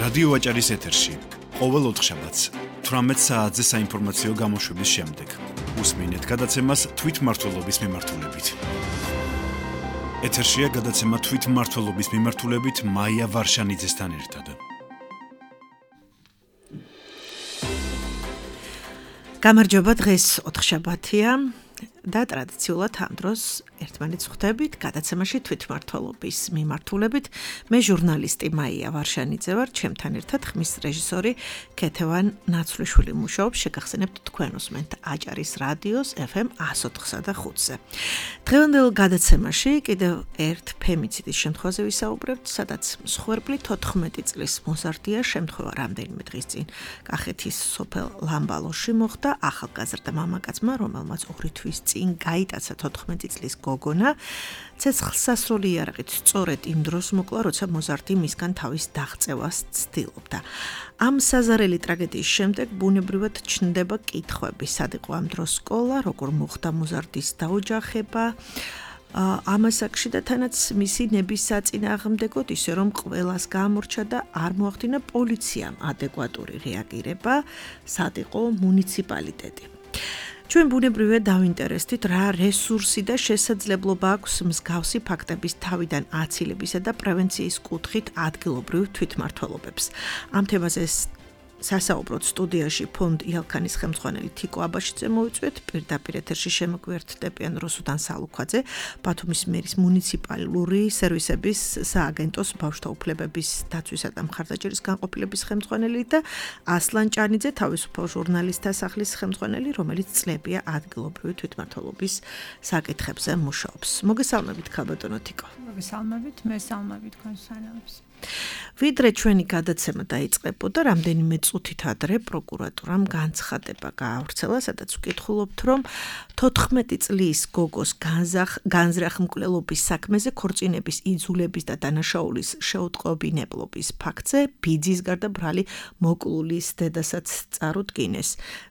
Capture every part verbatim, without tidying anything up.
რადიო ვაჭარის ეთერში ყოველ ოთხშაბათს თვრამეტ საათზე საინფორმაციო გამოშვების შემდეგ უსმინეთ გადაცემას თვითმმართველობის მიმართულებით. ეთერშია გადაცემა თვითმმართველობის მიმართულებით მაია ვარშანიძესთან ერთად. გამარჯობა, დღეს ოთხშაბათია და ტრადიციულად ამ დროს ერთმანეთს ხვდებით გადაცემაში თვითმმართველობის მიმართულებით. მე ჟურნალისტი მაია ვარშანიძე ვარ, ჩემთან ერთად ხმის რეჟისორი ქეთევან ნაცვლიშვილი მუშაობს. შეგახსენებთ თქვენ უსმენთ აჭარის რადიოს ეფ ემ εκατო ოთხსა და ხუთზე. დღევანდელ გადაცემაში კიდევ ერთ ფემიციდის შემთხვევაზე ვისაუბრებთ, სადაც მსხვერპლი თოთხმეტი წლის მოზარდია. შემთხვევა რამდენიმე დღის წინ კახეთის სოფელ ლამბალოში მოხდა. ახალგაზრდა მამაკაცმა, რომელმაც ორი თვის წინ გაიტაცა თოთხმეტი წლის გოგონა, ცეცხლსასროლი იარაღით სწორედ იმ დროს მოკლა, როცა მოზარდი მისგან თავის დაღწევას ცდილობდა. ამ საზარელი ტრაგედიის შემდეგ ბუნებრივად ჩნდება კითხვები, სად იყო ამ დროს სკოლა, როგორ მოხდა მოზარდის დაოჯახება, ამას აქში და თანაც მისი ნების საწინააღმდეგოდ, ისე რომ ყველას გამორჩა და არ მოახდინა პოლიციამ ადეკვატური რეაგირება, სად იყო მუნიციპალიტეტი. ჩვენ ბუნებრივად დავინტერესდით, რა რესურსი და შესაძლებლობა აქვს მსგავსი ფაქტების თავიდან აცილებისა და პრევენციის კუთხით ადგილობრივ თვითმმართველობებს. ამ თემაზე სასაუბროდ სტუდიაში ფონდ იალქანის ხელმძღვანელი თიკო აბაშიძე მოვიწვიეთ, პირდაპირ ეთერში შემოგვიერთდებიან რუსუდან სალუქვაძე, ბათუმის მერის მუნიციპალური სერვისების სააგენტოს ბავშვთა უფლებების დაცვისა და მხარდაჭერის განყოფილების ხელმძღვანელი და ასლან ჭანიძე, თავისუფალ ჟურნალისტთა სახლის ხელმძღვანელი, რომელიც წლებია ადგილობრივი თვითმმართველობის საკითხებზე მუშაობს. მოგესალმებით, ქალბატონო თიკო. მოგესალმებით, მე სალმები თქვენ სანამს. ვიდრე ჩვენი გადაცემა დაიწყებოდა, რამდენიმე წუთით ადრე პროკურატურამ განცხადება გაავრცელა, სადაც ვკითხულობთ, რომ თოთხმეტი წლის გოგოს განზრახ მკვლელობის საქმეზე ქორწინების იძულების და დანაშაულის შეუტყობინებლობის ფაქტზე ბიძის გარდა ბრალი მოკლულის დედასაც წარუდგინეს.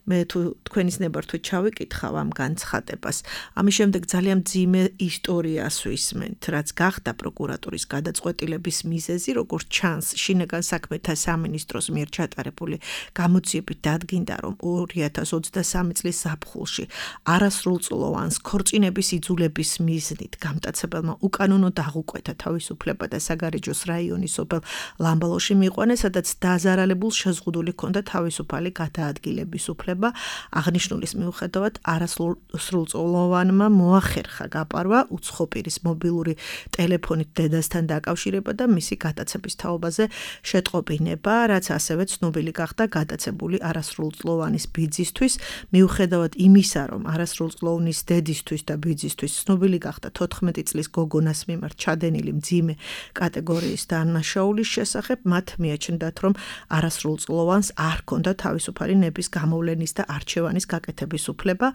მე თუ თქვენის ნებართვით ჩავიკითხავ ამ განცხადებას, ამის შემდეგ ძალიან მძიმე ისტორიას ვისმენთ, რაც გახდა პროკურატურის გადაწყვეტილების მიზეზი, როგორც ჩანს, შინაგან საქმეთა სამინისტროს მიერ ჩატარებული გამოძიებით დადგინდა, რომ ორი ათას ოცდასამი წლის ზაფხულში არასრულწლოვანს ქორწინების იძულების მიზნით გამტაცებელმა უკანონო დაღუკვეთა თავისუფლება და საგარეჯოს რაიონის სოფელ ლამბალოში მიიყვანეს, სადაც დაზარალებულ შეზღუდული ჰქონდა თავისუფალი გადაადგილების უფლება. აღნიშნულის მიუხედავად არასრულწლოვანმა მოახერხა გაპარვა უცხოპირის მობილური ტელეფონით დედასთან დაკავშირება და მისი გადაცების თაობაზე შეტყობინება, რაც ასევე ცნობილი გახდა გადაცებული არასრულწლოვანის ბიძისთვის, მიუხედავად იმისა, რომ არასრულწლოვნის დედისთვის და ბიძისთვის ცნობილი გახდა თოთხმეტი წლის გოგონას მიმართ ჩადენილი მძიმე კატეგორიის დანაშაულის შესახებ, მათ მიაჩნდათ, რომ არასრულწლოვანს არ ჰქონდა თავისუფალი ნების გამოვლენის და არჩევანის გაკეთების უფლება.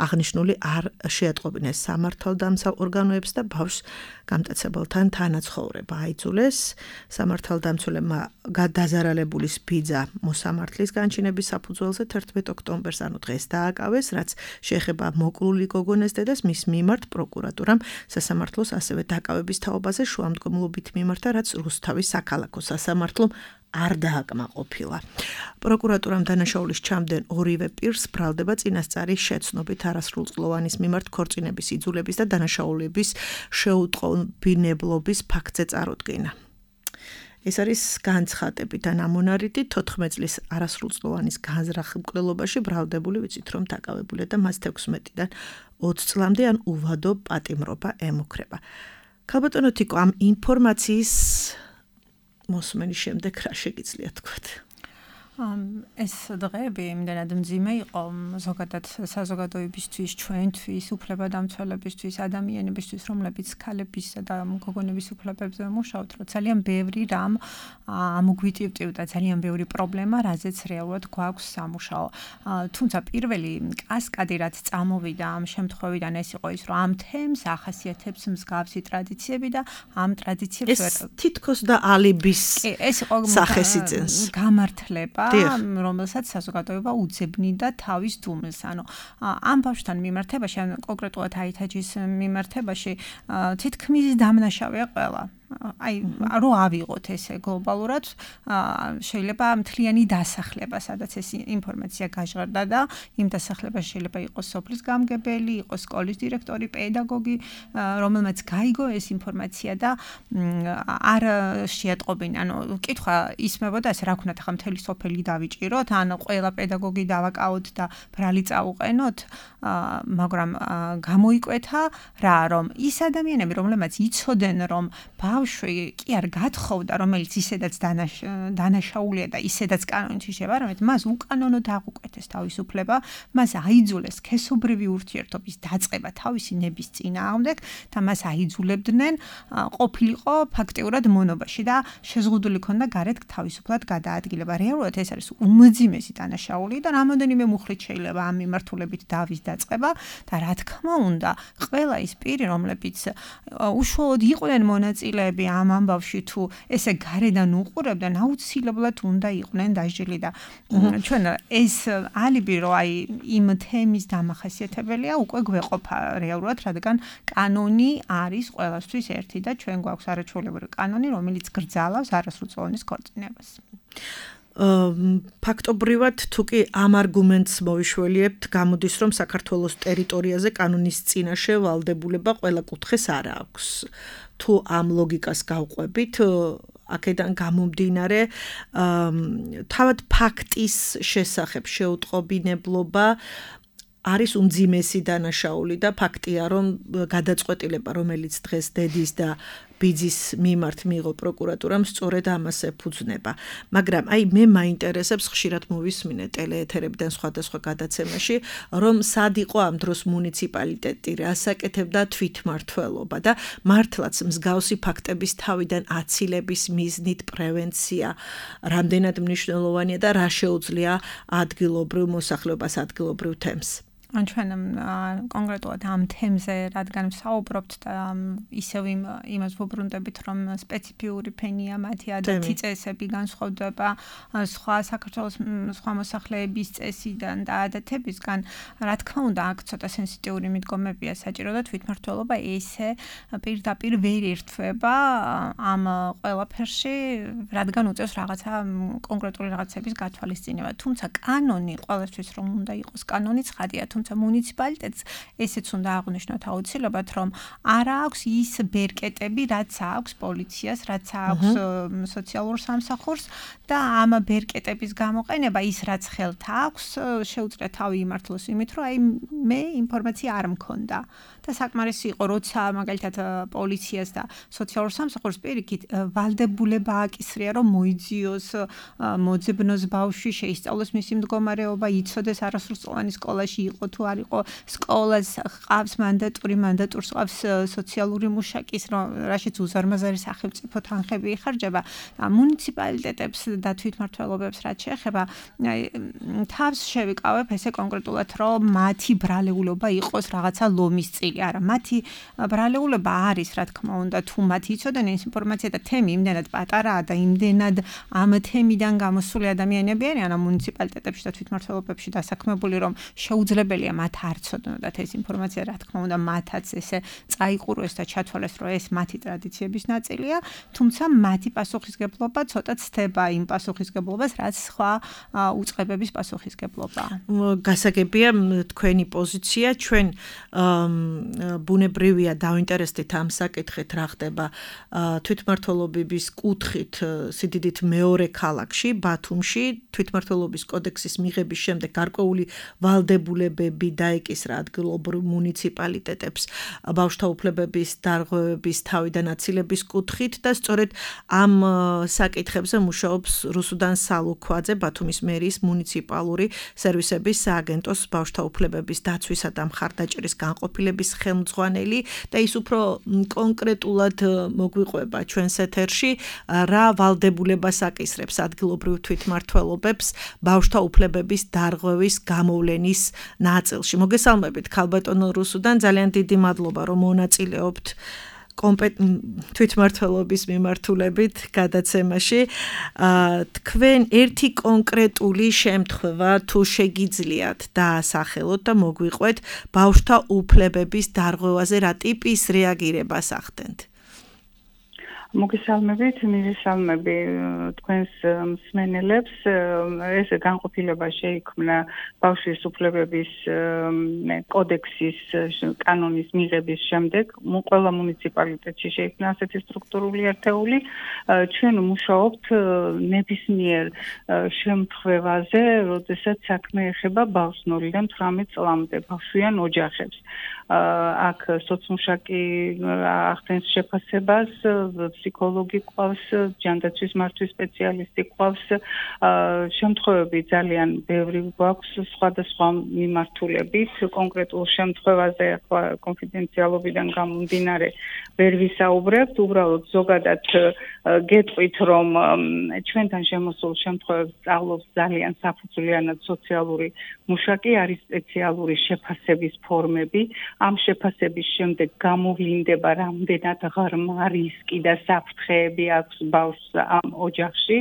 აღნიშნული არ შეატყობინეს სამართალდამცავ ორგანოებს და ბავშვს გამტაცებელთან თანაცხოვრება აიძულეს. სამართალდამცველებმა გადაზარალებულის ბიძა მოსამართლის განჩინების საფუძველზე თერთმეტ ოქტომბერს, ანუ დღეს დააკავეს, რაც შეეხება მოკლული გოგონას დედას, მის მიმართ პროკურატურამ სასამართლოს ასევე დაკავების თაობაზე შუამდგომლობით მიმართა, რაც რუსთავის საქალაქო სასამართლომ არ დააკმაყოფილა. პროკურატურამ დანაშაულის ჩამდენ ორივე პირს ბრალდება წინასწარი შეცნობით არასრულწლოვანის მიმართ ქორწინების იძულების და დანაშაულების შეუტყობინებლობის ფაქტზე წარუდგინა. ეს არის განცხადებით ან ამონარიტი თოთხმეტი წლის არასრულწლოვანის განზრახ მკვლელობაში ბრალდებული, ვიცით რომ დაკავებულია და მას თექვსმეტიდან ოცი წლამდე ან უვადო პატიმრობა ემუქრება. ქალბატონო თიკო, ამ ინფორმაციის მოსმენის შემდეგ რა შეგიძლიათ თქვათ? ეს დღეები იმდენად მძიმე იყო ზოგადად საზოგადოებისთვის, ჩვენთვის, უფლებადამცველებისთვის, ადამიანებისთვის, რომლებიც ქალებისა და გოგონების უფლებებზე მუშაობთ, რომ ძალიან ბევრი რამ ამოგვიტივტივდა, ძალიან ბევრი პრობლემა, რაზეც რეალურად გვაქვს სამუშაო. თუმცა პირველი კასკადი, რაც წამოვიდა ამ შემთხვევიდან, ეს იყო ის, რომ ამ თემს ახასიათებს მსგავსი ტრადიციები და ამ ტრადიციებს ეს თითქოს და ალიბის ეს იყო სახეს იძენს. გამართლება, რომელსაც საზოგადოება უძებნიდა თავის დუმილს. ანუ ამ ბავშვთან მიმართებაში, ან კონკრეტულად აითაჯის მიმართებაში თითქმის დამნაშავეა ყველა. აი რო ავიღოთ ესე გლობალურად შეიძლება მთლიანი დასახლება, სადაც ეს ინფორმაცია გაჟღერდა და იმ დასახლებაში შეიძლება იყოს სოფლის გამგებელი, იყოს სკოლის დირექტორი, პედაგოგი, რომელმაც გაიგო ეს ინფორმაცია და არ შეატყობინა. ანუ კითხვა ისმებოდა ეს რა ვქნათ ახლა მთელი სოფელი დავიჭიროთ, ან ყველა პედაგოგი დავაკავოთ და ბრალი წაუყენოთ, მაგრამ გამოიკვეთა რა, რომ ის ადამიანები, რომლებმაც იცოდნენ, რომ ბავშვი კი არ გათხოვდა, რომელიც ისედაც დანაშაულია და ისედაც კანონით იშევა, რომელიც მას უკანონოდ აღუკვეთეს თავისუფლება, მას აიძულეს სქესობრივი ურთიერთობის დაწყება თავისი ნების წინააღმდეგ და მას აიძულებდნენ ყოფილიყო ფაქტიურად მონობაში და შეზღუდული ქონდა გარეთ თავისუფლად გადაადგილება. რეალურად ეს არის უმძიმესი დანაშაული და რამოდენიმე მუხლით შეიძლება ამ მიმართულებით დავის დაწყება და რა თქმა უნდა, ყველა ის პირი, რომლებიც უშუალოდ იყვნენ მონაწილეები ამ ამბავში თუ ესე გარედან უყურებდნენ, აუცილებლად უნდა იყვნენ დაჟილი და ჩვენ ეს ალიბი რო აი იმ თემის დამახასიათებელია უკვე გვეყოფა რეალურად, რადგან კანონი არის ყველასთვის ერთი და ჩვენ გვაქვს არაჩვეულებრივი კანონი, რომელიც გრძალავს არასრულწლოვანის ქორწინებას. ფაქტობრივად თუ კი ამ არგუმენტს მოვიშველიებთ, გამოდის რომ საქართველოს ტერიტორიაზე კანონის წინაშე ვალდებულება ყველა კუთხეს არ აქვს. თუ ამ ლოგიკას გავყვებით, აქედან გამომდინარე, თავად ფაქტის შესახებ შეუტყობინებლობა არის უმძიმესი დანაშაული და ფაქტია, რომ გადაწყვეტილება, რომელიც დღეს დედის და ბიძის მიმართ მიიღო პროკურატურამ, სწორედ ამას ეფუძნება. მაგრამ აი მე მაინტერესებს, ხშირად მოვისმინე ტელეეთერებიდან სხვადასხვა გადაცემაში, რომ სად იყო ამ დროს მუნიციპალიტეტი, რას აკეთებდა თვითმმართველობა და მართლაც მსგავსი ფაქტების თავიდან აცილების მიზნით პრევენცია რამდენად მნიშვნელოვანია და რა შეუძლია ადგილობრივ მოსახლეობას, ადგილობრივ თემს. ან ჩვენ კონკრეტულად ამ თემზე რადგან ვსაუბრობთ და ისევ იმას ვუბრუნდებით, რომ სპეციფიური ფენია მათი ადათი წესები განსხვავდება სხვა საქართველოს სხვა მოსახლეების წესიდან და ადათებისგან, რა თქმა უნდა, აქ ცოტა სენსიტიური მიდგომებია საჭირო და თვითმმართველობა ესე პირდაპირ ვერ ერთვება ამ ყველაფერში, რადგან უწევს რაღაცა კონკრეტული რაღაცების გათვალისწინება. თუმცა კანონი ყველასთვის რომ უნდა იყოს კანონი ცხადია, თუმცა მუნიციპალიტეტს ესეც უნდა აღნიშნოთ აუცილებლად, რომ არ აქვს ის ბერკეტები, რაც აქვს პოლიციას, რაც აქვს სოციალურ სამსახურს და ამ ბერკეტების გამოყენება ის რაც ხელთ აქვს, შეუძლია თავი იმართლოს იმით, რომ აი მე ინფორმაცია არ მქონდა. და საკმარისი იყო, როცა მაგალითად პოლიციას და სოციალურ სამსახურს პირიქით ვალდებულება აკისრია, რომ მოიძიოს მოძებნოს ბავშვი, შეისწავლოს მისი მდგომარეობა, იცოდეს არასრულწლოვანი სკოლაში იყო თუ არ იყო, სკოლას ყავს მანდატური, მანდატურს ყავს სოციალური მუშაკის, რაშიც უზარმაზარი სახელმწიფო თანხები იხარჯება. მუნიციპალიტეტებს და თვითმმართველობებს რაც შეეხება, თავს შევიკავებ ესე კონკრეტულად, რომ მათი ბრალეულობა იყოს რაღაცა ლომის წილი. არა, მათი ბრალეულობა არის, რა თქმა უნდა, თუ მათი იცოდნენ ეს ინფორმაცია და თემი იმდენად პატარაა და იმდენად ამ თემიდან გამოსული ადამიანები არიან ამ მუნიციპალიტეტებში და თვითმმართველობებში დასაქმებული, რომ შეუძლებელია მათ არ ცოდნოდათ ეს ინფორმაცია, რა თქმა უნდა, მათაც ესე წაიყუროს და ჩათვალეს, რომ ეს მათი ტრადიციების ნაწილია, თუმცა მათი პასუხისგებლობა ცოტა ცდება იმ პასუხისგებლობას, რაც სხვა უწყებების პასუხისგებლობაა. გასაგებია თქვენი პოზიცია, ჩვენ ბუნებრივია დავინტერესდით ამ საკითხით, რა ხდება თვითმმართველობის კუთხით სიდიდით მეორე ქალაქში, ბათუმში, თვითმმართველობის კოდექსის მიღების შემდეგ გარკვეული ვალდებულებები დაეკისრა ადგილობრივ მუნიციპალიტეტებს ბავშვთა უფლებების დარღვევების თავიდან აცილების კუთხით და სწორედ ამ საკითხებზე მუშაობს რუსუდან სალუქვაძე, ბათუმის მერიის მუნიციპალური სერვისების სააგენტოს ბავშვთა უფლებების დაცვისა და მხარდაჭერის განყოფილების ხელმძღვანელი და ის უფრო კონკრეტულად მოგვიყვება ჩვენს ეთერში, რა ვალდებულებას აკისრებს ადგილობრივ თვითმმართველობებს ბავშვთა უფლებების დარღვევის გამოვლენის ნაწილში. მოგესალმებით, ქალბატონო რუსუდან, ძალიან დიდი მადლობა, რომ მონაწილეობთ თვითმმართველობის მიმართულებით გადაცემაში. თქვენ ერთი კონკრეტული შემთხვევა თუ შეგიძლიათ დაასახელოთ და მოგვიყვეთ ბავშვთა უფლებების დარღვევაზე რა ტიპის რეაგირებას ახდენთ? მოგესალმებით, მივესალმები თქვენს მსმენელებს. ეს განყოფილება შეიქმნა ბავშვის უფლებების კოდექსის კანონის მიღების შემდეგ. ყველა მუნიციპალიტეტში შეიქმნა ასეთი სტრუქტურული ერთეული. ჩვენ მუშაობთ ნებისმიერ შემთხვევაზე, როდესაც საქმე ეხება ბავშვს ნულიდან თვრამეტ წლამდე ბავშვიან ოჯახებს. აქ სოციმუშაკი ახდენს შეფასებას, ფსიქოლოგი ყავს, ჯანდაცვის მართვის სპეციალისტი ყავს. შემთხვევები ძალიან ბევრი გვაქვს სხვადასხვა მიმართულებით. კონკრეტულ შემთხვევაზე ახლა კონფიდენციალობიდან გამომდინარე ვერ ვისაუბრებთ, უბრალოდ ზოგადად გეტყვით, რომ ჩვენთან შემოსულ შემთხვევებს სწავლობს ძალიან საფუძვლიანად სოციალური მუშაკი, არის სპეციალური შეფასების ფორმები. ამ შეფასების შემდეგ გამოვლინდება რამდენად ღრმა რისკი და საფრთხეები აქვს ბავშვს ამ ოჯახში.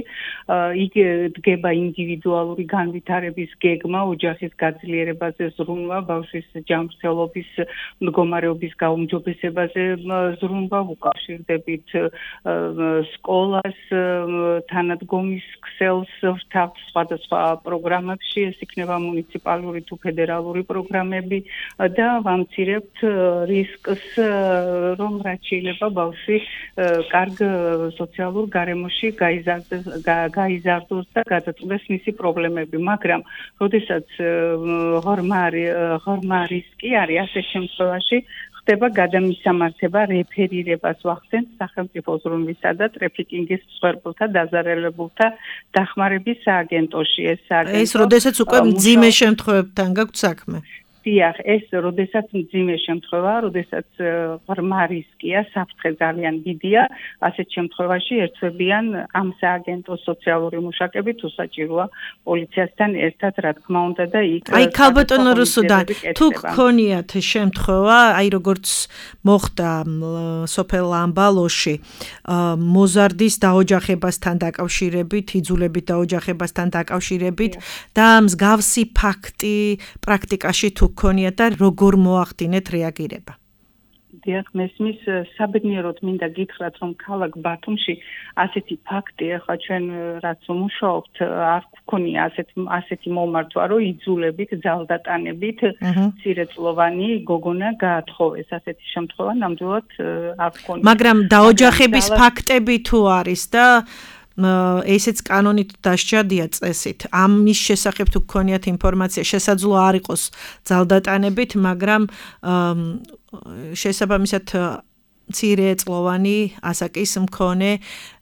იგი დგება ინდივიდუალური განვითარების გეგმა, ოჯახის გაძლიერებაზე ზრუნვა, ბავშვის ჯანმრთელობის მდგომარეობის გაუმჯობესებაზე ზრუნვა, უკავშირდებით სკოლას, თანადგომის ქსელს რთავთ სხვადასხვა პროგრამებში, ეს იქნება მუნიციპალური თუ ფედერალური პროგრამები და ვამცირებთ რისკს, რომ რაც შეიძლება ბავშვი კარგ სოციალურ გარემოში გაიზარდოს და გადაწყვეტს მისი პრობლემები, მაგრამ როდესაც ღრმა რისკი არის, ასე შემთხვევაში ხდება გადამისამართება, რეფერირებას ვახდენთ სახელმწიფო ზრუნვისა და ტრაფიკინგის მსხვერპლთა დაზარალებულთა დახმარების სააგენტოში. ეს სააგენტო ეს როდესაც უკვე მძიმე შემთხვევებთან გაქვთ საქმე. დიახ, ეს როდესაც მძიმე შემთხვევაა, როდესაც ღრმა რისკია, საფრთხე ძალიან დიდია, ასეთ შემთხვევაში ერთვებიან ამ სააგენტოს სოციალური მუშაკები, თუ საჭიროა პოლიციასთან ერთად, რა თქმა უნდა და იქ აი ქალბატონო რუსუდან, თუ გქონიათ შემთხვევა, აი როგორც მოხდა სოფელ ლამბალოში, მოზარდის დაოჯახებასთან დაკავშირებით, იძულებით დაოჯახებასთან დაკავშირებით და მსგავსი ფაქტი პრაქტიკაში თუ გქონიათ და როგორ მოახდინეთ რეაგირება? დიახ, მესმის, საბედნიეროდ მინდა გითხრათ, რომ ქალაქ ბათუმში ასეთი ფაქტი, ახლა ჩვენ რაც მუშაობთ, არ გქონია ასეთი ასეთი მომართვა, რომ იძულებით, ძალდატანებით მცირეწლოვანი გოგონა გაათხოვეს. ასეთი შემთხვევა ნამდვილად არ გქონია. მაგრამ დაოჯახების ფაქტები თუ არის და ესეც კანონით დასჯადია წესით. ამის შესახებ თუ გქონიათ ინფორმაცია, შესაძლოა არ იყოს ძალდატანებით, მაგრამ შესაბამისად მცირეწლოვანი ასაკის მქონე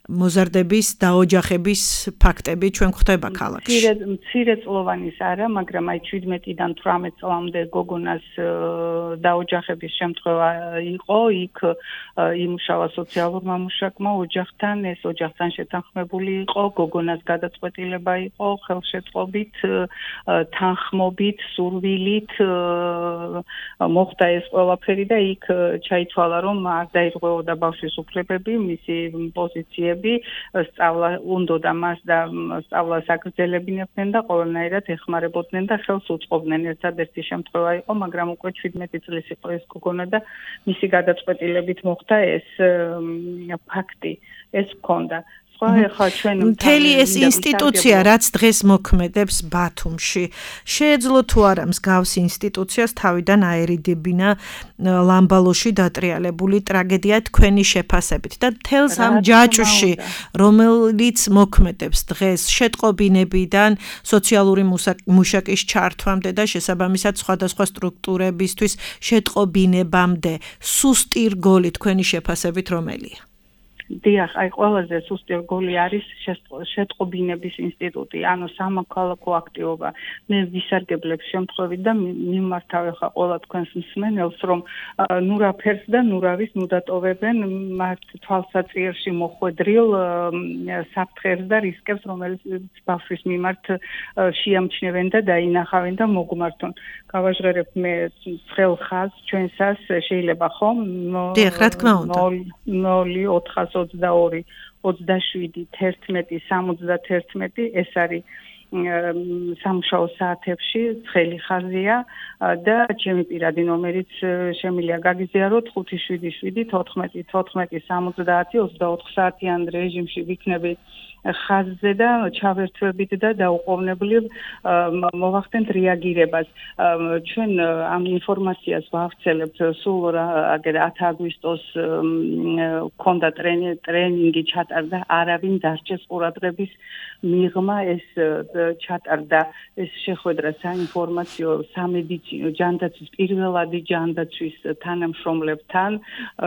მოზარდების დაოჯახების ფაქტები ჩვენ გვხვდება ქალაქში. მცირეწლოვანის არა, მაგრამ აი შვიდმეტიდან თვრამეტ წლამდე გოგონას დაოჯახების შემთხვევა იყო, იქ იმუშავა სოციალურმა მუშაკმა ოჯახთან, ეს ოჯახთან შეთანხმებული იყო, გოგონას გადაწყვეტილება იყო, ხელშეწყობით, თანხმობით, სურვილით მოხდა ეს ყველაფერი და იქ ჩაითვალა, რომ არ დაირღვეოდა ბავშვის უფლებები, მისი პოზიციები სწავლა უნდოდა მას და სწავლას აგრძელებინებდნენ და ყველანაირად ეხმარებოდნენ და ხელს უწყობდნენ. ერთადერთი შემთხვევა იყო, მაგრამ უკვე შვიდმეტი წლის იყო ეს გოგონა და მისი გადაწყვეტილებით მოხდა ეს ფაქტი, ეს ჰქონდა. მთელი ეს ინსტიტუცია, რაც დღეს მოქმედებს ბათუმში, შეეძლო თუ არა მსგავს ინსტიტუციას თავიდან აერიდებინა ლამბალოში დატრიალებული ტრაგედია თქვენი შეფასებით და მთელს ამ ჯაჭვში, რომელიც მოქმედებს დღეს შეტყობინებიდან სოციალური მუშაკის ჩართვამდე და შესაბამისად სხვადასხვა სტრუქტურებისთვის შეტყობინებამდე, სუსტი რგოლი თქვენი შეფასებით რომელია? დიახ, აი ყველაზე სუსტი რგოლი არის შეტყობინების ინსტიტუტი, ანუ სამოქალაქო აქტივობა. მე ვისარგებლებ შემთხვევით და მიმართავ ახლა ყველა თქვენს მსმენელს, რომ ნურაფერს და ნურავის ნუდატოვებენ მათ თვალსაჭირში მოხვედრილ საფრთხეს და რისკებს, რომელიც ბავშვის მიმართ შეამჩნევენ და დაინახავენ და მოგმართონ. გავაჟღერებ მე ცხელ ხაზს ჩვენსას შეიძლება ხომ? დიახ, რა თქმა უნდა. ნული ოთხას ოცდაორი ოცდაშვიდი თერთმეტი სამოცდათერთმეტი ეს არის სამუშაო საათებში ცხელი ხაზია და ჩემი პირადი ნომერიც შემიძლია გაგიზიაროთ ხუთი შვიდი შვიდი თოთხმეტი თოთხმეტი სამოცდაათი ოცდაოთხ საათიან რეჟიმში ვიქნები ხაზზე და ჩავერთვებით და დაუყოვნებლივ მოვახდენთ რეაგირებას. ჩვენ ამ ინფორმაციას ვავრცელებთ სულ აგერ ათი აგვისტოს ქონდა ტრენინგი ჩატარდა, არავინ დარჩეს ყურადღების მიღმა ეს ჩატარდა ეს შეხვედრა საინფორმაციო სამედიცინო ჯანდაცვის პირველადი ჯანდაცვის თანამშრომლებთან,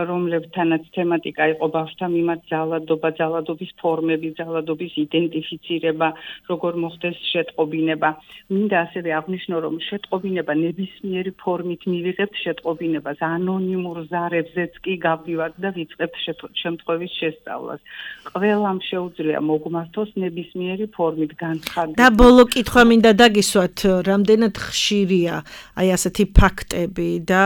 რომლებთანაც თემატიკა იყო ბავშვთა მიმართ ძალადობა, ძალადობის ფორმები, ძალადობის იდენტიფიცირება, როგორ მოხდეს შეტყობინება. მინდა ასევე აღნიშნო, რომ შეტყობინება ნებისმიერი ფორმით მივიღებთ შეტყობინებას, ანონიმურ ზარებზეც კი გავდივართ და ვიწყებთ შემთხვევის შესწავლას. ყველამ შეუძლია მოგმართოს ნებისმიერი ფორმით განცხადება. და ბოლო კითხვა მინდა დაგისვათ, რამდენად ხშირია აი ასეთი ფაქტები და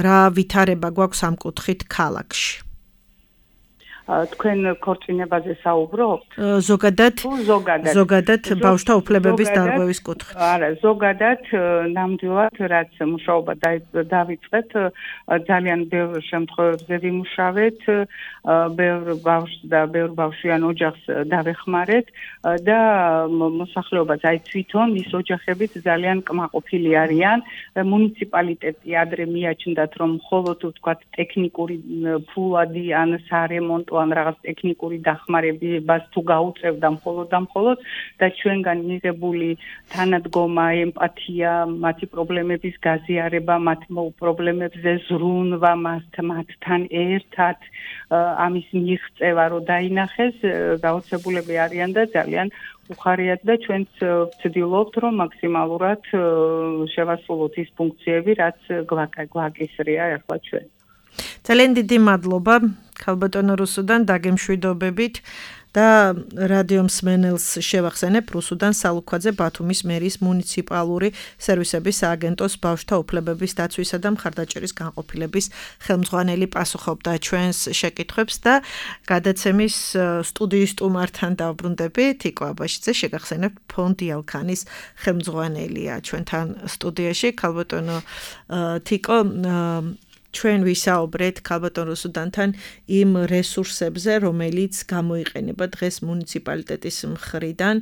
რა ვითარება გვაქვს ამ კუთხით ქალაქში? თქვენ ქორწინებაზე საუბრობთ? ზოგადად ზოგადად ზოგადად ბავშვთა უფლებების დარღვევის კუთხით. არა, ზოგადად ნამდვილად რაც მუშაობა დავიწყეთ, ძალიან ბევრ შემთხვევებზე ვიმუშავეთ, ბევრ ბავშვს და ბევრ ბავშვიან ოჯახს დავეხმარეთ და მოსახლეობაც აი თვითონ ის ოჯახებიც ძალიან კმაყოფილი არიან. მუნიციპალიტეტი ადრე მიაჩნდათ, რომ მხოლოდ ვთქვათ ტექნიკური ფულადი ან სარემონტო ან რაღაც ტექნიკური დახმარებას თუ გაუწევდა მხოლოდ და მხოლოდ და ჩვენგან მიღებული თანადგომა, ემპათია, მათი პრობლემების გაზიარება, მათ პრობლემებზე ზრუნვა, მათთან ერთად ამის მიღწევა რო დაინახეს, გაოცებულები არიან და ძალიან უხარიათ და ჩვენც ვცდილობთ, რომ მაქსიმალურად შევასრულოთ ის ფუნქციები, რაც გვაკისრია ახლა ჩვენ. ძალიან დიდი მადლობა ქალბატონო რუსუდან დაგემშვიდობებით და რადიო მსმენელს შევახსენებ რუსუდან სალუქვაძე ბათუმის მერის მუნიციპალური სერვისების სააგენტოს ბავშვთა უფლებების დაცვისა და მხარდაჭერის განყოფილების ხელმძღვანელი პასუხობდა ჩვენს შეკითხვებს და გადაცემის სტუდიის სტუმართან დავბრუნდები თიკო აბაშიძე შეგახსენებთ ფონდი ალქანის ხელმძღვანელია ჩვენთან სტუდიაში ქალბატონო თიკო ჩვენ ვისაუბრეთ ქალბატონ რუსუდანთან იმ რესურსებზე, რომელიც გამოიყენება დღეს მუნიციპალიტეტის მხრიდან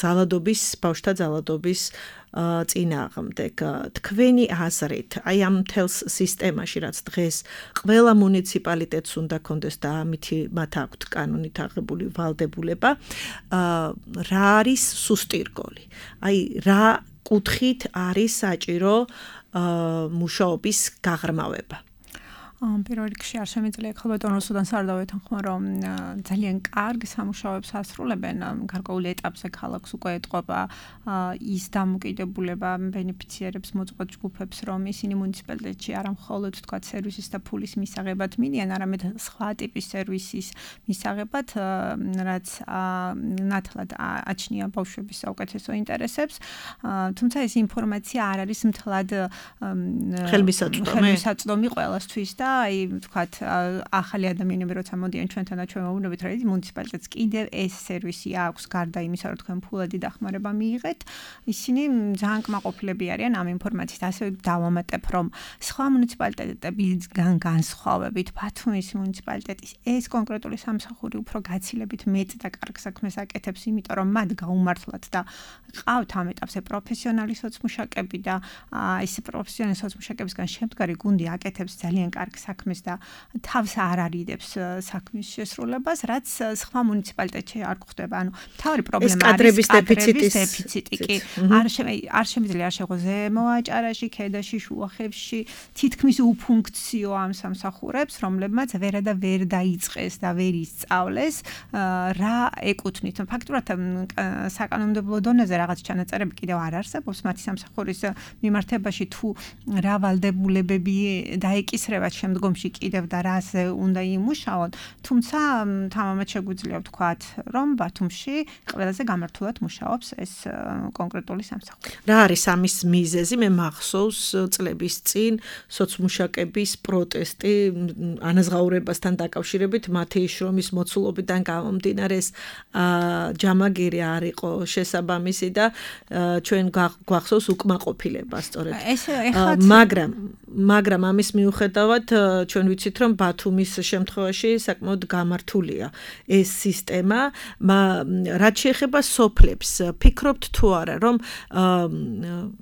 ძალადობის, ბავშვთა ძალადობის წინააღმდეგ. თქვენი აზრით, აი ამ მთელს სისტემაში, რაც დღეს ყველა მუნიციპალიტეტს უნდა კონდეს და ამითი მათ აქვთ კანონით აღებული ვალდებულება, რა არის სუსტი რგოლი? აი რა კუთხით არის საჭირო მუშაობის გაღრმავება? პირველ რიგში არ შემიძლია ქალბატონ რუსუდანს არ დავეთანხმო, რომ ძალიან კარგ სამუშაოებს ასრულებენ გარკვეულ ეტაპზე ქალაქს უკვე ეტყობა ის დამოკიდებულება ბენეფიციერებს მოწყვეტ ჯგუფებს, რომ ისინი მუნიციპალიტეტში არა მხოლოდ თქვა სერვისის და ფულის მისაღებად მიდიან, არამედ სხვა ტიპის სერვისის მისაღებად, რაც ნათლად აჩნია ბავშვების საუკეთესო ინტერესებს, თუმცა ეს ინფორმაცია არ არის მთლად ხელმისაწვდომი ყველასთვის და აი ვთქვათ ახალი ადამიანები როცა მოდიან ჩვენთან და ჩვენ ვუბრუნდებით, რომ მუნიციპალიტეტს კიდევ ეს სერვისი აქვს გარდა იმისა, რომ თქვენ ფულადი დახმარება მიიღეთ, ისინი ძალიან კმაყოფილები არიან ამ ინფორმაციით. ასევე დავამატებ, რომ სხვა მუნიციპალიტეტებიდან განსხვავებით ბათუმის მუნიციპალიტეტის ეს კონკრეტული სამსახური უფრო გაცილებით მეტ და კარგ საქმეს აკეთებს, იმიტომ რომ მათ გაუმართლად და ყავთ ამ ეტაპზე პროფესიონალი სოცმუშაკები და ეს პროფესიონალი სოცმუშაკებისგან შემდგარი გუნდი აკეთებს ძალიან კარგ საქმეს და თავს არ არიდებს საქმის შესრულებას, რაც სხვა მუნიციპალიტეტში არ გვხდება. ანუ თავი პრობლემა არის კადრების დეფიციტი. კი არ არ შემიძლია არ შეღო ზემო აჭარაში, ქედაში, შუახევში თითქმის უფუნქციო ამ სამსახურებს, რომლებმაც ვერა და ვერ დაიწყეს და ვერ ისწავლეს რა ეკუთვნით. ფაქტურად საკანონმდებლო დონეზე რაღაც ჩანაწერები კიდევ არ არსებობს მათი სამსახურის მიმართებაში, თუ რა ვალდებულებები დაეკისრებათ შემდგომში კიდევ და რაზე უნდა იმუშაონ, თუმცა თამამად შეგვიძლია ვთქვათ, რომ ბათუმში ყველაზე გამართულად მუშაობს ეს კონკრეტული სამსახური. რა არის ამის მიზეზი? მე მახსოვს წლების წინ სოცმუშაკების პროტესტი ანაზღაურებასთან დაკავშირებით მათი შრომის მოცულობიდან გამომდინარე ეს ჯამაგირი არ იყო შესაბამისი და ჩვენ გვახსოვს უკმაყოფილება სწორედ. მაგრამ მაგრამ ამის მიუხედავად ჩვენ ვიცით რომ ბათუმის შემთხვევაში საკმაოდ გამართულია ეს სისტემა, რაც შეეხება სოფლებს. ფიქრობთ თუ არა რომ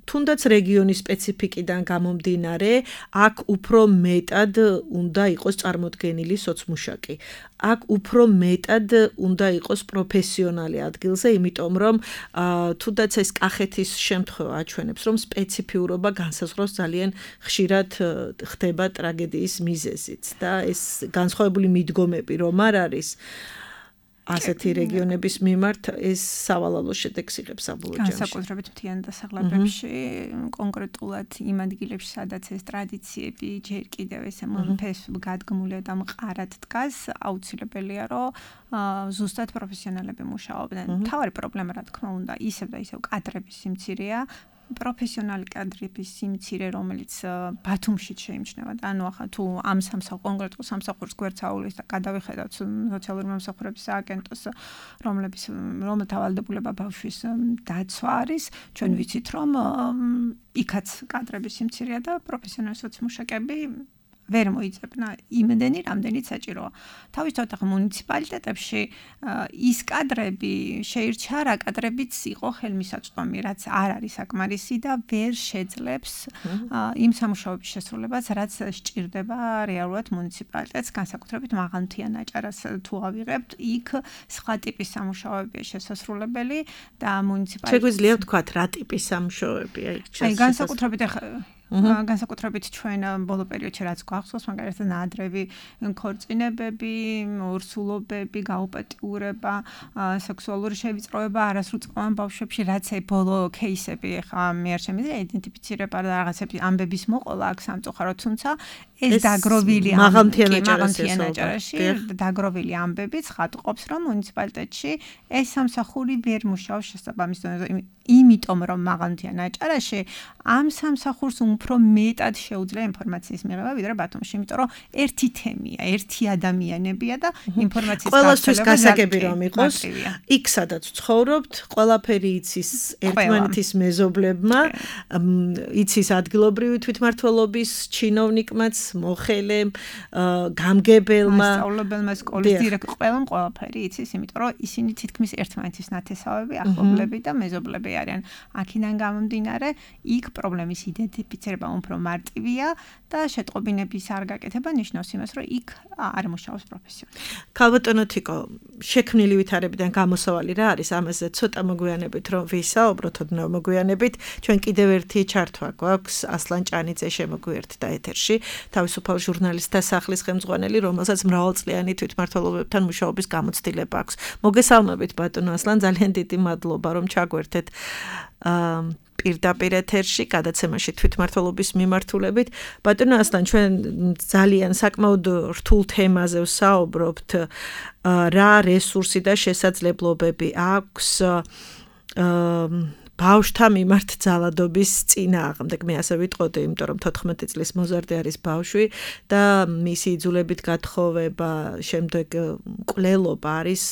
თუნდაც რეგიონის სპეციფიკიდან გამომდინარე აქ უფრო მეტად უნდა იყოს წარმოდგენილი სოცმუშაკი. აქ უფრო მეტად უნდა იყოს პროფესიონალი ადგილზე, იმიტომ რომ თუნდაც ეს კახეთის შემთხვევა აჩვენებს, რომ სპეციფიურობა განსაზღვრავს ძალიან ხშირად ხდება ტრაგედიის მიზეზიც და ეს განსხვავებული მიდგომები რომ არ არის ასეთი რეგიონების მიმართ ეს სავალალო შედეგს იღებს საბოლოო ჯამში. განსაკუთრებით მთიან დასახლებებში, კონკრეტულად იმ ადგილებში, სადაც ეს ტრადიციები ჯერ კიდევ ესე მომფეს გადგმულია და მყარად დგას, აუცილებელია, რომ ზუსტად პროფესიონალები მუშაობდნენ. მთავარი პრობლემა, რა თქმა უნდა, ისევ და ისევ კადრების სიმცირეა. პროფესიონალი კადრების სიმცირე, რომელიც ბათუმში შეიმჩნევა და ანუ ახლა თუ ამ სამსახურ კონკრეტულ სამსახურს გვერდსაულის და გადავიხედავთ სოციალური მომსახურების სააგენტოს, რომლების რომელთა ვალდებულება ბავშვის დაცვა არის, ჩვენ ვიცით რომ იქაც კადრების სიმცირეა და პროფესიონალი სოციმუშაკები ვერ მოიძებნა იმდენი, რამდენიც საჭიროა. თავისთავად ახლა მუნიციპალიტეტებში ის კადრები შეირჩა რა კადრებიც იყო ხელმისაწვდომი, რაც არ არის საკმარისი და ვერ შეძლებს იმ სამუშაოების შესრულებას, რაც სჭირდება რეალურად მუნიციპალიტეტს, განსაკუთრებით მაღალმთიან აჭარას თუ ავიღებთ, იქ სხვა ტიპის სამუშაოებია შესასრულებელი და მუნიციპალიტეტს შეგვიძლია ვთქვათ რა ტიპის სამუშაოებია იქ შესასრულებელი. აი განსაკუთრებით განსაკუთრებით ჩვენ ბოლო პერიოდში რაც გვახსოვს, მაგალითად ნაადრევი ქორწინებები, ორსულობები, გაუპატიურება, სექსუალური შევიწროება არასრულწლოვან ბავშვებში, რაც ეს ბოლო кейსები ახლა მე არ შემიძლია აიდენტიფიცირება და რაღაცები ამბების მოყოლა აქ სამწუხაროდ, თუმცა ეს დაგროვილი მაღალმთიან აჭარაში დაგროვილი ამბებიც ხატყობს, რომ მუნიციპალიტეტში ეს სამსახური ვერ მუშაობს შესაბამის დონეზე, იმიტომ რომ მაღალმთიან აჭარაში ამ სამსახურს უფრო მეტად შეუძლია ინფორმაციის მიღება ვიდრე ბათუმში, იმიტომ რომ ერთი თემია, ერთი ადამიანებია და ინფორმაციის ყველასთვის გასაგები რომ იყოს, იქ სადაც ცხოვრობთ, ყველაფერი იცის ერთმანეთის მეზობლებმა, იცის ადგილობრივი თვითმმართველობის ჩინოვნიკმაც, მოხელემ, გამგებელმა, მასწავლებელმა, სკოლის დირექტორმა, ყველამ ყველაფერი იცის, იმიტომ რომ ისინი თითქმის ერთმანეთის ნათესავები, ახლობლები და მეზობლები არიან. აქედან გამომდინარე, იქ პრობლემის იდენტიფიცირება უფრო მარტივია და შეტყობინების არ გაკეთება ნიშნავს იმას, რომ იქ არ მუშაობს პროფესიონალი. ქალბატონო თიკო, შექმნილი ვითარებიდან გამოსავალი რა არის? ამაზე ცოტა მოგვიანებით რომ ვისაუბროთ, ოდნავ მოგვიანებით, ჩვენ კიდევ ერთი ჩართვა გვაქვს ასლან ჭანიძე შემოგვიერთდა ეთერში, თავისუფალ ჟურნალისტთა სახლის ხელმძღვანელი, რომელსაც მრავალწლიანი თვითმმართველობებთან მუშაობის გამოცდილება აქვს. მოგესალმებით ბატონო ასლან, ძალიან დიდი მადლობა რომ ჩაგვერთეთ პირდაპირ ეთერში გადაცემაში თვითმმართველობის მიმართულებით. ბატონო ასლან, ჩვენ ძალიან საკმაოდ რთულ თემაზე ვსაუბრობთ, რა რესურსი და შესაძლებლობები აქვს ბავშვთა მიმართ ძალადობის წინააღმდეგ. მე ასე ვიტყოდი, იმიტომ რომ თოთხმეტი წლის მოზარდი არის ბავშვი და მისი იძულებით გათხოვება, შემდეგ მკვლელობა არის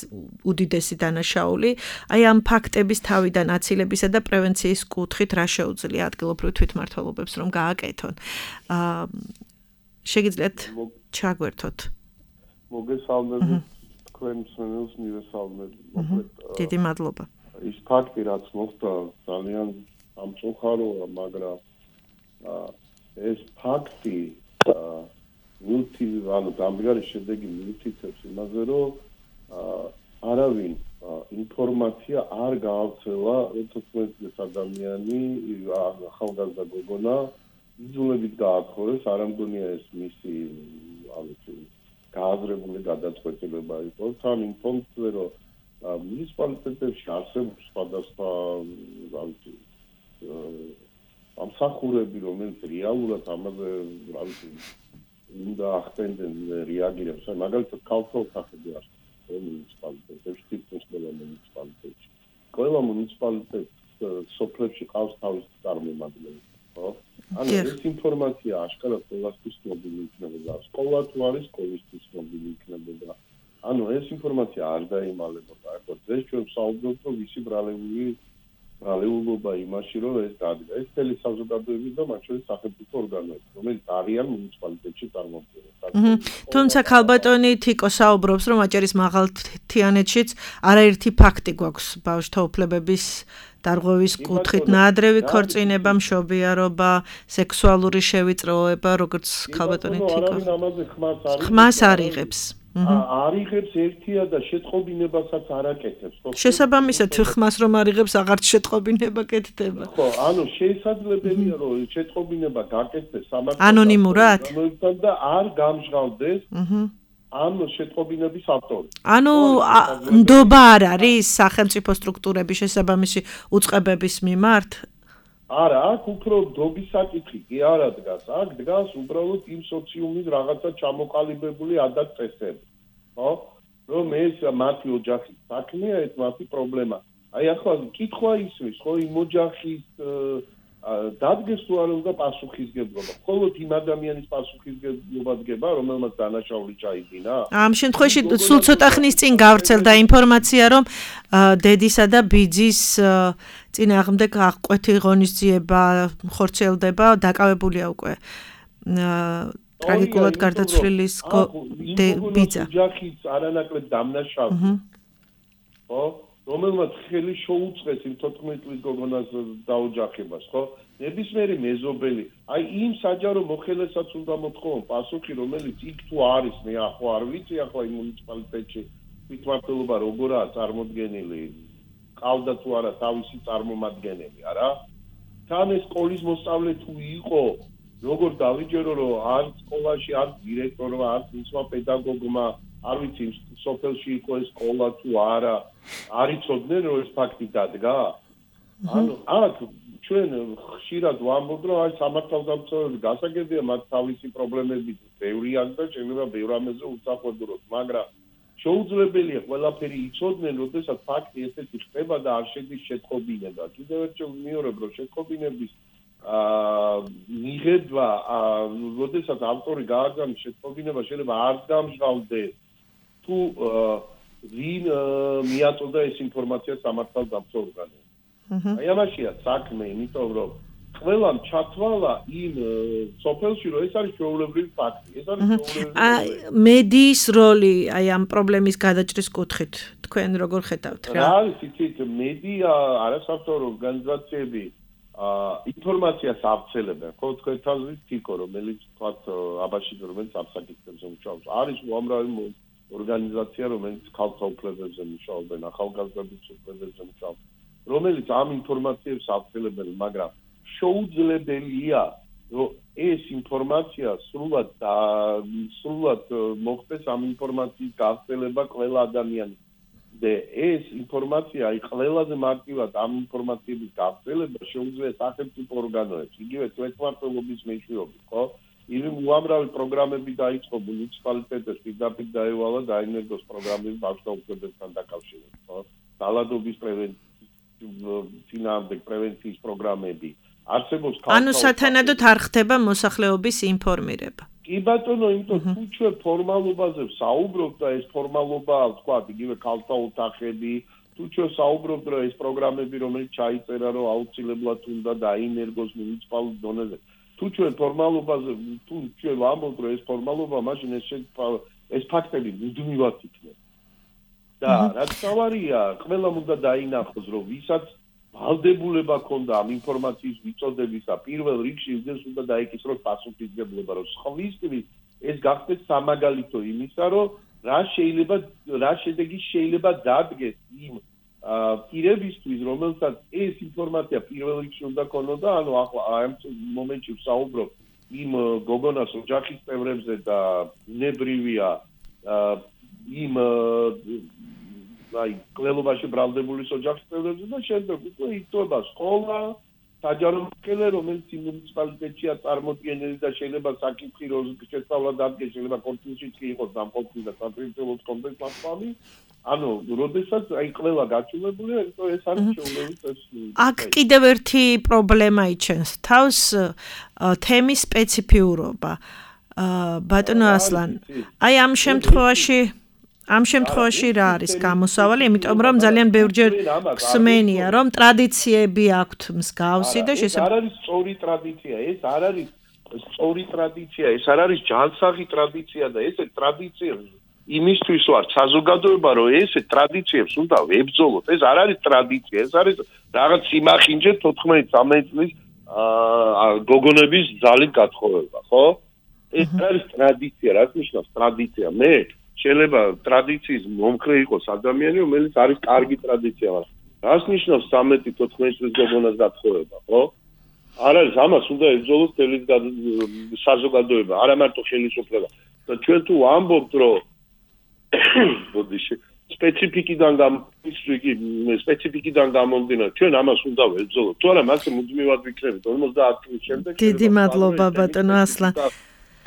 უდიდესი დანაშაული. აი ამ ფაქტების თავიდან აცილებისა და პრევენციის კუთხით რა შეუძლია ადგილობრივ თვითმმართველობებს რომ გააკეთონ. შეგიძლიათ ჩაგვერთოთ. მოგესალმებით თქვენ მსმენელს მივესალმებ. დიდი მადლობა. ის ფაქტი რაც მოხდა ძალიან ამწუხაროა, მაგრამ ეს ფაქტი ნულთი ანუ დამდგარი შედეგი მითითებს იმაზე, რომ არავინ ინფორმაცია არ გაავრცელა თოთხმეტი წლის ადამიანი, ახალგაზრდა გოგონა იძულებით გაათხოვეს, არ ამგონია ეს მისი ანუ გააზრებული გადაწყვეტილება იყო, თან ინფორმაცია რომ მუნიციპალიტეტებში არსებობს სხვადასხვა ამსახურები, რომელიც რეალურად ამაზე უნდა ახდენდნენ რეაგირებს, მაგალითად ქალთა ოთახები არის მუნიციპალიტეტებში, თითქმის ყველა მუნიციპალიტეტში. ყველა მუნიციპალიტეტს სოფლებში ყავს თავისი წარმომადგენელი, ხო? ანუ ეს ინფორმაცია აშკარად ყველასთვის მობილი იქნებოდა. სკოლა თუ არის, სკოლისთვის მობილი იქნებოდა. ანუ ეს ინფორმაცია არ დაიმალებოდა. ახლა დღეს ჩვენ ვსაუბრობთ, რომ ვისი ბრალეული ბრალეულობა იმაში, რომ ეს დადგა. ეს მთელი საზოგადოების და მათ შორის სახელმწიფო ორგანოები, რომელიც არიან მუნიციპალიტეტში წარმოქმნილი. თუმცა ქალბატონი თიკო საუბრობს, რომ აჭარის მაღალთიანეთშიც არაერთი ფაქტი გვაქვს ბავშვთა უფლებების დარღვევის კუთხით, ნაადრევი ქორწინება, მშობიარობა, სექსუალური შევიწროება, როგორც ქალბატონი თიკო. ხმას არ იღებს. არ იღებს ერთია და შეტყობინებასაც არ აკეთებს. შესაბამისად, ხმას რომ არ იღებს, აღარც შეტყობინება კეთდება. ხო, ანუ შესაძლებელია, რომ შეტყობინება გაკეთდეს სამართალ ანონიმურად და არ გამჟღავდეს ამ შეტყობინების ავტორი. ანუ ნდობა არ არის სახელმწიფო სტრუქტურების შესაბამისი უწყებების მიმართ? არა, აქ უფრო ნდობის საკითხი კი არ დგას. აქ დგას უბრალოდ იმ სოციუმის რაღაცა ჩამოყალიბებული ადათ-წესები. ხო? რომ ეს მათი ოჯახის საქმეა, ეს მათი პრობლემა. აი ახლა კითხვა ისმის, ხო, იმ ოჯახის დადგეს თუ არ უნდა პასუხისგებლობა. მხოლოდ იმ ადამიანის პასუხისგებლობა დგება, რომელმაც დანაშაული ჩაიდინა. ამ შემთხვევაში სულ ცოტა ხნის წინ გავრცელდა ინფორმაცია, რომ დედისა და ბიძის წინააღმდეგ აღკვეთი ღონისძიება ხორციელდება, დაკავებულია უკვე ტრაგიკულად გარდაცვლილის ბიძა. ოჯახის არანაკლებ დამნაშავე. ხო? რომელმაც ხელი შეუწყეს იმ თოთხმეტ წლის გოგონას დაოჯახებას, ხო? ნებისმიერი მეზობელი, აი იმ საჯარო მოხელესაც უნდა მოთხოვონ პასუხი, რომელიც იქ თუ არის, მე ახლა არ ვიცი, ახლა იმ მუნიციპალიტეტში თვითმმართველობა როგორაა წარმოდგენილი, ყავდა თუ არა თავისი წარმომადგენელი, არა? თან ეს სკოლის მოსწავლე თუ იყო, როგორ დავიჯერო, რომ არ სკოლაში, არ დირექტორმა, არ მისმა პედაგოგმა არ ვიცი სოფელში იყო ეს სკოლა თუ არა არ იცოდნენ რომ ეს ფაქტი დადგა ანუ აქ ჩვენ ხშირად ვამბობთ რომ აი სამართალდამცავები გასაგებია მათ თავისი პრობლემები ბევრი აქვს და შეიძლება ბევრ ამაზე უცახოდუროთ მაგრამ შეუძლებელია ყველაფერი იცოდნენ როდესაც ფაქტი ესეთი ხდება და არ შედის შეტყობინება კიდევ ერთხელ ვიმეორებ რომ შეტყობინების აა მიღება როდესაც ავტორი გააგზავნის შეტყობინება შეიძლება არ გამჟღავდეს თუ ვინ მიაწოდა ეს ინფორმაცია სამართალდამცავ ორგანოებს. აი ამაშია საქმე, იმიტომ რომ ყველამ ჩათვალა იმ სოფელში, რომ ეს არის ჩვეულებრივი ფაქტი. ეს არის ჩვეულებრივი. მედიის როლი აი ამ პრობლემის გადაჭრის კუთხით თქვენ როგორ ხედავთ რა? რა არის იცით მედია არასამთავრობო ორგანიზაციები ინფორმაციას ავრცელებენ, ხო თქვენ თავის თიკო, რომელიც თქვათ აბაში რომელიც აფსაკითხებზე მუშაობს. არის უამრავი ორგანიზაცია, რომელიც ქალთა უფლებებზე მუშაობენ, ახალგაზრდების უფლებებზე მუშაობენ, რომელიც ამ ინფორმაციებს ავრცელებენ, მაგრამ შეუძლებელია, რომ ეს ინფორმაცია სრულად და სრულად მოხდეს ამ ინფორმაციის გავრცელება ყველა ადამიანის. და ეს ინფორმაცია, აი ყველაზე მარტივად ამ ინფორმაციების გავრცელება შეუძლია სახელმწიფო ორგანოებს, იგივე თვითმმართველობის მეშვეობით, ხო? იმ უამრავი პროგრამები დაიწყო მუნიციპალიტეტებში, პირდაპირ დაევალა დაინერგოს პროგრამები ბავშვთა უფლებებთან დაკავშირებით, ხო? დალადობის პრევენციის პრევენციის პროგრამები. არსებობს ანუ სათანადოდ არ ხდება მოსახლეობის ინფორმირება. კი ბატონო, იმიტომ თუ ჩვენ ფორმალობაზე ვსაუბრობთ და ეს ფორმალობა, თქვა, იგივე ქალთა ოთახები, თუ ჩვენ საუბრობთ, რომ ეს პროგრამები, რომელიც ჩაიწერა, რომ აუცილებლად უნდა დაინერგოს მუნიციპალურ დონეზე, თუ ჩვენ ფორმალობაზე, თუ ჩვენ ვამბობთ, რომ ეს ფორმალობა, მაშინ ეს ეს ფაქტები მუდმივად იქნება. და რაც თავარია, ყველამ უნდა დაინახოს, რომ ვისაც ვალდებულება ქონდა ამ ინფორმაციის ვიწოდებისა პირველ რიგში ის უნდა დაიკისროს პასუხისგებლობა რომ სხვისთვის ეს გახდეს სამაგალითო იმისა რომ რა შეიძლება რა შედეგი შეიძლება დადგეს იმ პირებისთვის რომელსაც ეს ინფორმაცია პირველ რიგში უნდა ქონოდა ანუ ახლა ამ მომენტში ვსაუბრობ იმ გოგონას ოჯახის წევრებზე და ბუნებრივია იმ აი კლელობაში ბრალდებული ოჯახის წევრებზე და შემდეგ უკვე იწובה სკოლა საჯარო მკერდე რომელიც იმ მუნიციპალიტეტშია წარმოდგენილი და შეიძლება საკითხი შესწავლა დადგეს შეიძლება კონსტიტუციით კი იყოს დამყოფი და საპრინციპო კონტექსტ მასშტაბი ანუ როდესაც აი ყველა გაჩვენებულია ეს არის შეუძლებელი ეს აქ კიდევ ერთი პრობლემა იჩენს თავს თემის სპეციფიურობა ბატონო ასლან აი ამ შემთხვევაში ამ შემთხვევაში რა არის გამოსავალი, იმიტომ რომ ძალიან ბევრჯერ ხსმენია, რომ ტრადიციები აქვთ მსგავსი და შესაძლოა არ არის სწორი ტრადიცია, ეს არ არის სწორი ტრადიცია, ეს არ არის ჯანსაღი ტრადიცია და ესე ტრადიცია იმისთვის ვარ საზოგადოება, რომ ესე ტრადიციებს უნდა ვებრძოლოთ. ეს არ არის ტრადიცია, ეს არის რაღაც სიმახინჯე თოთხმეტი ცამეტი წლის გოგონების ძალით გათხოვება, ხო? ეს არის ტრადიცია, რაც ნიშნავს ტრადიცია? მე შეიძლება ტრადიციის მომხრე იყოს ადამიანი, რომელიც არის კარგი ტრადიცია, მაგრამ რას ნიშნავს ცამეტი თოთხმეტი წლის გოგონას გათხოვება, ხო? არ არის ამას უნდა ებრძოლოს მთელი საზოგადოება, არა მარტო ხელისუფლება. და ჩვენ თუ ვამბობთ, რომ ბოდიში სპეციფიკიდან გამომდინარე, სპეციფიკიდან გამომდინარე, ჩვენ ამას უნდა ვებრძოლოთ. თუ არა, მასე მუდმივად ვიქნებით ორმოცდაათი წლის შემდეგ. დიდი მადლობა ბატონო ასლან.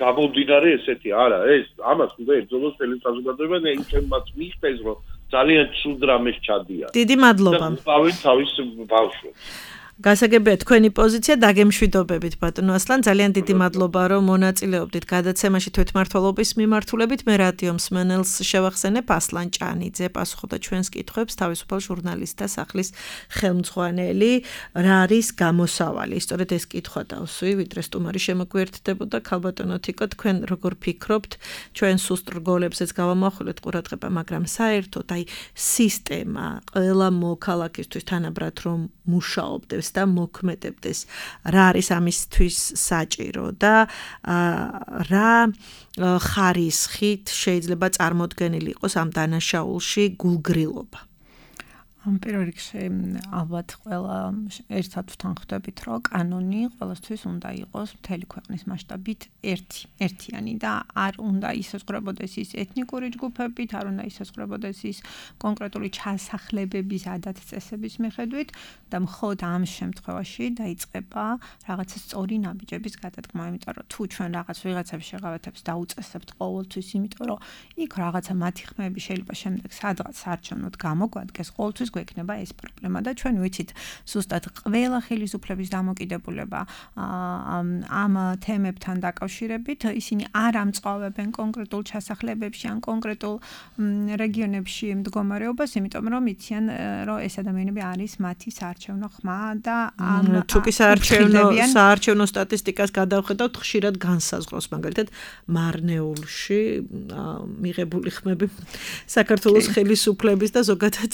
გამომდინარე ესეთი არა ეს ამას უნდა ებრძოლოს მთელი საზოგადოება და იმჩემაც მიხდეს რომ ძალიან ცუდ რამეს ჩადიან დიდი მადლობა დავით თავის ბავშვებს გასაგებია თქვენი პოზიცია დაგემშვიდობებით ბატონო ასლან ძალიან დიდი მადლობა რომ მონაწილეობდით გადაცემაში თვითმმართველობის მიმართულებით მე რადიო მსმენელს შევახსენებ ასლან ჭანიძე პასუხობდა ჩვენს კითხვებს თავისუფალ ჟურნალისტ და სახლის ხელმძღვანელი რა არის გამოსავალი სწორედ ეს კითხვა დავსვი ვიდრე სტუმარი შემოგვიერთდებოდა ქალბატონო თიკო თქვენ როგორ ფიქრობთ ჩვენ სუსტ რგოლებზეც გავამახვილეთ ყურადღება მაგრამ საერთოდ აი სისტემა ყველა მოქალაქისთვის თანაბრად რომ მუშაობდეს და მოქმედებდეს რა არის ამისთვის საჭირო და რა ხარისხით შეიძლება წარმოდგენილი იყოს ამ დანაშაულში გულგრილობა ამ პირველ რიგში ალბათ ყველა ერთად ვთანხმდებით, რომ კანონი ყველასთვის უნდა იყოს მთელი ქვეყნის მასშტაბით ერთი, ერთიანი და არ უნდა ისესწრებოდეს ის ეთნიკური ჯგუფებით, არ უნდა ისესწრებოდეს ის კონკრეტული ჩასახლებების ადათ-წესების მიხედვით და მხოლოდ ამ შემთხვევაში დაიწყება რაღაცა სწორი ნაბიჯების გადადგმა, იმიტომ რომ თუ ჩვენ რაღაც ვიღაცებს შეღავათებს დაუწესებთ ყოველთვის, იმიტომ რომ იქ რაღაცა მათი ხმები შეიძლება შემდეგ სადღაც საარჩევნოდ გამოგვადგეს, ყოველთვის გვექნება ეს პრობლემა და ჩვენ ვიცით ზუსტად ყველა ხელისუფლების დამოკიდებულება ამ თემებთან დაკავშირებით ისინი არ ამწყავებენ კონკრეტულ ჩასახლებებში ან კონკრეტულ რეგიონებში მდგომარეობას, იმიტომ რომ იციან რომ ეს ადამიანები არის მათი საარჩევნო ხმა და ამ თუკი საარჩევნო საარჩევნო სტატისტიკას გადავხედავთ ხშირად განსაზღვროს მაგალითად მარნეულში მიღებული ხმები საქართველოს ხელისუფლების და ზოგადად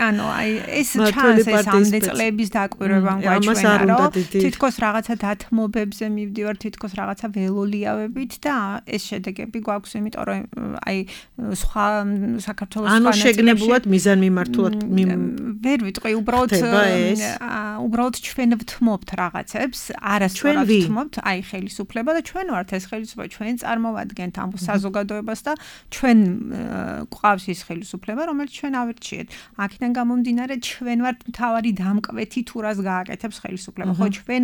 ანუ აი ეს ჩანს ეს ამდე წლების დაკვირვებამ გვაჩვენა რომ თითქოს რაღაცა დათმობებზე მივდივარ თითქოს რაღაცა ველოლიავებით და ეს შედეგები გვაქვს იმიტომ რომ აი სხვა საქართველოს სხვა ანუ შეგნებულად მიზანმიმართულად ვერ ვიტყვი უბრალოდ უბრალოდ ჩვენ ვთმობთ რაღაცებს არასწორად ვთმობთ აი ხელისუფლება და ჩვენ ვართ ეს ხელისუფლება ჩვენ წარმოვადგენთ ამ საზოგადოებას და ჩვენ გვყავს ის ხელისუფლება რომელიც ჩვენ ავირჩიეთ აქედან გამომდინარე ჩვენ ვართ მთავარი დამკვეთი თუ რას გააკეთებს ხელისუფლება ხო ჩვენ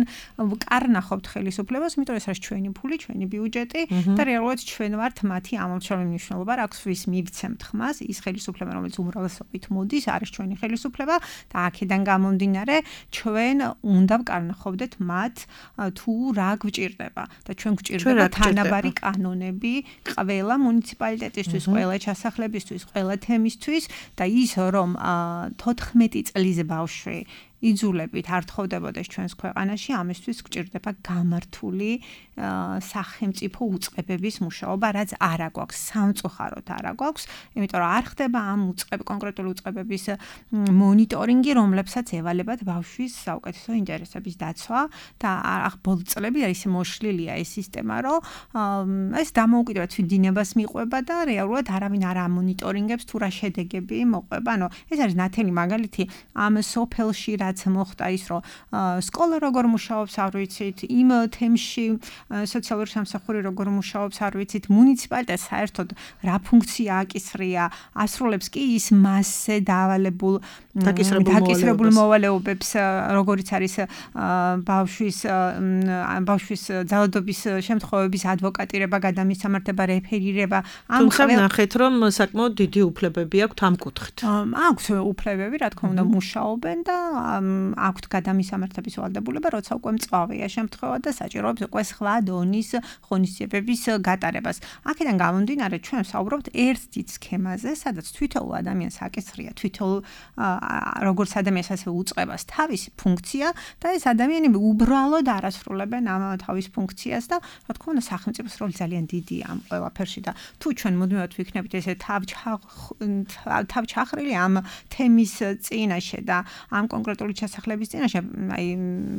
კარნახობთ ხელისუფლებას იმიტომ ეს არის ჩვენი ფული ჩვენი ბიუჯეტი და რეალურად ჩვენ ვართ მათი ამომრჩეველი მნიშვნელობა რა აქვს ვის მივცემთ ხმას ის ხელისუფლება რომელიც უმრავლესობით მოდის არის ჩვენი ხელისუფლება და აქედან გამომდინარე ჩვენ უნდა ვკარნახობდეთ მათ თუ რა გვჭირდება და ჩვენ გვჭირდება თანაბარი კანონები ყველა მუნიციპალიტეტისთვის ყველა ჩასახლებისთვის ყველა თემისთვის და ის რომ თოთხმეტი წლის ბავშვი იძულებით არ თხოვდებოდეს ჩვენს ქვეყანაში, ამისთვის გვჭირდება გამართული სახელმწიფო უწყებების მუშაობა, რაც არა გვაქვს, სამწუხაროდ არა გვაქვს, იმიტომ რომ არ ხდება ამ უწყებ კონკრეტული უწყებების მონიტორინგი, რომლებსაც ევალებათ ბავშვის საუკეთესო ინტერესების დაცვა და ახ ბოლო წლები არის მოშლილია ეს სისტემა, რომ ეს დამოუკიდებელ თვითდინებას მიყვება და რეალურად არავინ არ ამონიტორინგებს თუ რა შედეგები მოყვება. ანუ ეს არის ნათელი მაგალითი ამ სოფელში რა რაც მოხდა ის რომ სკოლა როგორ მუშაობს არ ვიცით იმ თემში სოციალური სამსახური როგორ მუშაობს არ ვიცით მუნიციპალიტეტს საერთოდ რა ფუნქცია აკისრია ასრულებს კი ის მასზე დავალებულ დაკისრებულ მოვალეობებს როგორიც არის ბავშვის ბავშვის ძალადობის შემთხვევების ადვოკატირება გადამისამართება რეფერირება ამ ხელ ნახეთ რომ საკმაოდ დიდი უფლებები აქვთ ამ კუთხით აქვთ უფლებები რა თქმა უნდა მუშაობენ და აქვთ გადამისამართების ვალდებულება როცა უკვე მწვავეა შემთხვევა და საჭიროებს უკვე სხვა დონის ღონისძიებების გატარებას აქედან გამომდინარე ჩვენ საუბრობთ ერთ დიდ სქემაზე სადაც თვითონ ადამიანს აკისრია თვითონ როგორც ადამიანს ასე უწყებას თავისი ფუნქცია და ეს ადამიანები უბრალოდ არასრულებენ ამ თავის ფუნქციას და რა თქმა უნდა სახელმწიფოს როლი ძალიან დიდია ამ ყველაფერში და თუ ჩვენ მუდმივად ვიქნებით ესე თავჩახრილი ამ თემის წინაშე და ამ კონკრეტული ჩასახლების წინაშე აი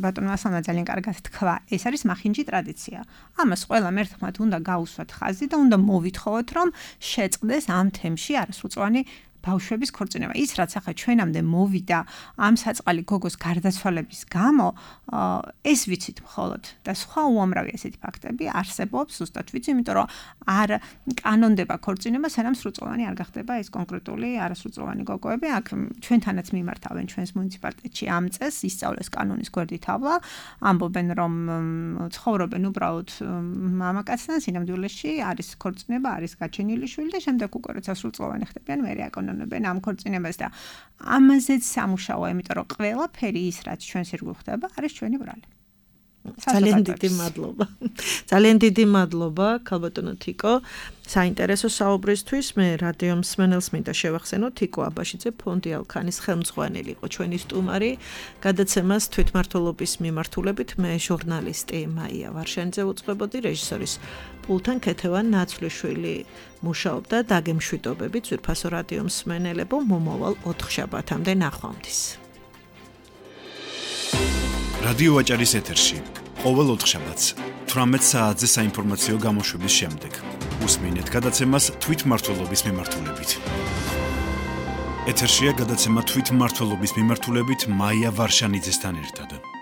ბატონმა ასლანმა ძალიან კარგად თქვა ეს არის მახინჯი ტრადიცია ამას ყველამ ერთხმად უნდა გაუსვათ ხაზი და უნდა მოვითხოვოთ რომ შეწყდეს ამ თემში არასრულწლოვანი ბავშვების ქორწინება ის რაც ახლა ჩვენამდე მოვიდა ამ საწყალი გოგოს გარდაცვალების გამო ეს ვიცით მხოლოდ და სხვა უამრავი ესეთი ფაქტები არსებობს ზუსტად ვიცი იმიტომ რომ არ კანონდება ქორწინება სანამ სრულწლოვანი არ გახდება ეს კონკრეტული არასრულწლოვანი გოგოები აქ ჩვენთანაც მიმართავენ ჩვენს მუნიციპალიტეტში ამ წესს ისწავლეს კანონის გვერდით ავლა ამბობენ რომ ცხოვრობენ უბრალოდ მამაკაცთან სინამდვილეში არის ქორწინება არის გაჩენილი შვილი და შემდეგ უკვე როცა სრულწლოვანი ხდებიან მერე აკონონებენ ამ ქორწინებას და ამაზეც სამუშაოა იმიტომ რომ ყველაფერი ის რაც ჩვენს ირგვლივ ხდება არის ჩვენი ბრალი ძალიან დიდი მადლობა ძალიან დიდი მადლობა ქალბატონო თიკო საინტერესო საუბრისთვის მე რადიო მსმენელს მინდა შევახსენო თიკო აბაშიძე ფონდი ალქანის ხელმძღვანელი იყო ჩვენი სტუმარი გადაცემას თვითმმართველობის მიმართულებით მე ჟურნალისტი მაია ვარშანიძე უწყებოდი რეჟისორის პულთან ქეთევან ნაცვლიშვილი მუშაობდა დაგემშვიდობებით ძვირფასო რადიო მსმენელებო მომავალ ოთხშაბათამდე ნახვამდის რადიო ვაჭარის ეთერში ყოველ ოთხშაბათს თვრამეტ საათზე საინფორმაციო გამოშვების შემდეგ უსმინეთ გადაცემას თვითმმართველობის მიმართულებით ეთერშია გადაცემა თვითმმართველობის მიმართულებით მაია ვარშანიძესთან ერთად